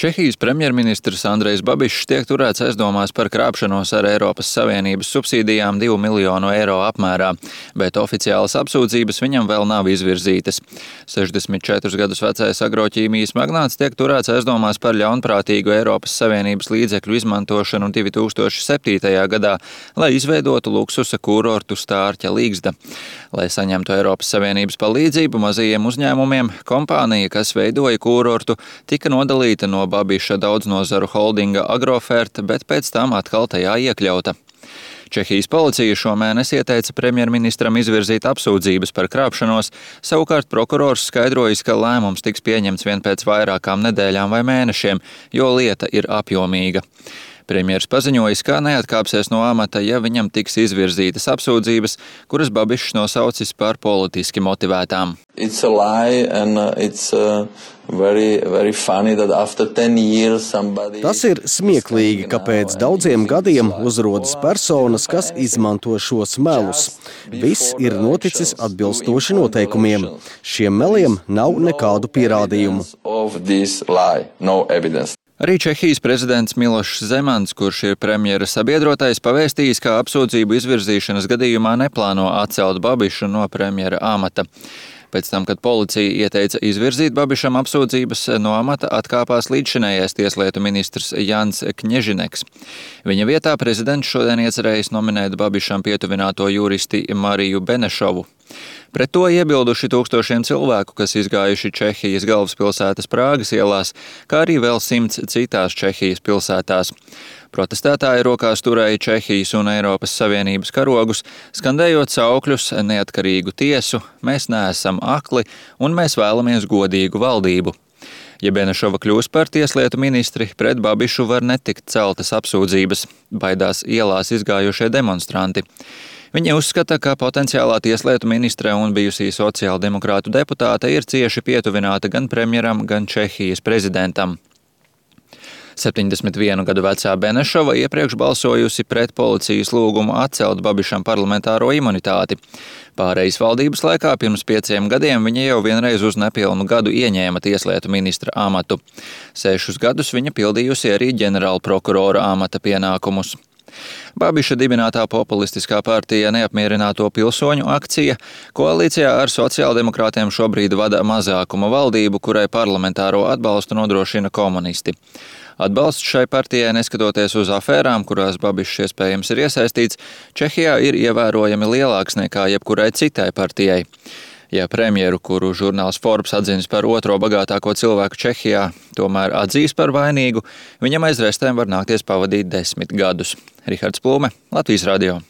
Čehijas premjerministrs Andrejs Babišs tiek turēts aizdomās par krāpšanos ar Eiropas Savienības subsīdijām 2 miljonu eiro apmērā, bet oficiālas apsūdzības viņam vēl nav izvirzītas. 64 gadus vecais agroķīmijas magnāts tiek turēts aizdomās par ļaunprātīgu Eiropas Savienības līdzekļu izmantošanu 2007. gadā, lai izveidotu luksusa kurortu Stārķa Līgzda. Lai saņemtu Eiropas Savienības palīdzību mazajiem uzņēmumiem, kompānija, kas veidoja kurortu, tika nodalīta no Babiša daudznozaru holdinga Agrofert, bet pēc tam atkal tajā iekļauta. Čehijas policija šomēnes ieteica premjerministram izvirzīt apsūdzības par krāpšanos, savukārt prokurors skaidrojis, ka lēmums tiks pieņemts vien pēc vairākām nedēļām vai mēnešiem, jo lieta ir apjomīga. Premjers paziņojis, ka neatkāpsies no amata, ja viņam tiks izvirzītas apsūdzības, kuras Babišs nosaucis par politiski motivētām. Tas ir smieklīgi, ka pēc daudziem gadiem uzrodas personas, kas izmanto šos melus. Viss ir noticis atbilstoši noteikumiem. Šiem meliem nav nekādu pierādījumu. Arī Čehijas prezidents Milošs Zemans, kurš ir premjera sabiedrotais, pavēstījis, ka apsūdzību izvirzīšanas gadījumā neplāno atcelt Babišu no premjera amata. Pēc tam, kad policija ieteica izvirzīt Babišam apsūdzības, no amata atkāpās līdzšinējais tieslietu ministrs Jans Kņežineks. Viņa vietā prezidents šodien iecerējis nominēt Babišam pietuvināto juristi Mariju Benešovu. Pret to iebilduši tūkstošiem cilvēku, kas izgājuši Čehijas galvaspilsētas Prāgas ielās, kā arī vēl 100 citās Čehijas pilsētās. Protestētāji rokās turēja Čehijas un Eiropas Savienības karogus, skandējot saukļus neatkarīgu tiesu, mēs neesam akli un mēs vēlamies godīgu valdību. Ja Benešova kļūs par tieslietu ministri, pret Babišu var netikt celtas apsūdzības, baidās ielās izgājušie demonstranti. Viņi uzskata, ka potenciālā tieslietu ministre un bijusī sociāldemokrātu deputāte ir cieši pietuvināta gan premjeram, gan Čehijas prezidentam. 71 gadu vecā Benešova iepriekš balsojusi pret policijas lūgumu atcelt Babišam parlamentāro imunitāti. Pārejas valdības laikā pirms 5 gadiem viņa jau vienreiz uz nepilnu gadu ieņēma tieslietu ministra amatu. 6 gadus viņa pildījusi arī ģenerālprokurora amata pienākumus. Babiša dibinātā populistiskā partija Neapmierināto pilsoņu akcija koalīcijā ar sociāldemokrātiem šobrīd vada mazākuma valdību, kurai parlamentāro atbalstu nodrošina komunisti. Atbalsts šai partijai, neskatoties uz afērām, kurās Babišs iespējams ir iesaistīts, Čehijā ir ievērojami lielāks nekā jebkurai citai partijai. Ja premjeru, kuru žurnāls Forbes atzinis par otro bagātāko cilvēku Čehijā, tomēr atzīs par vainīgu, viņam aiz restēm var nākties pavadīt 10 gadus. Rihards Plūme, Latvijas radio.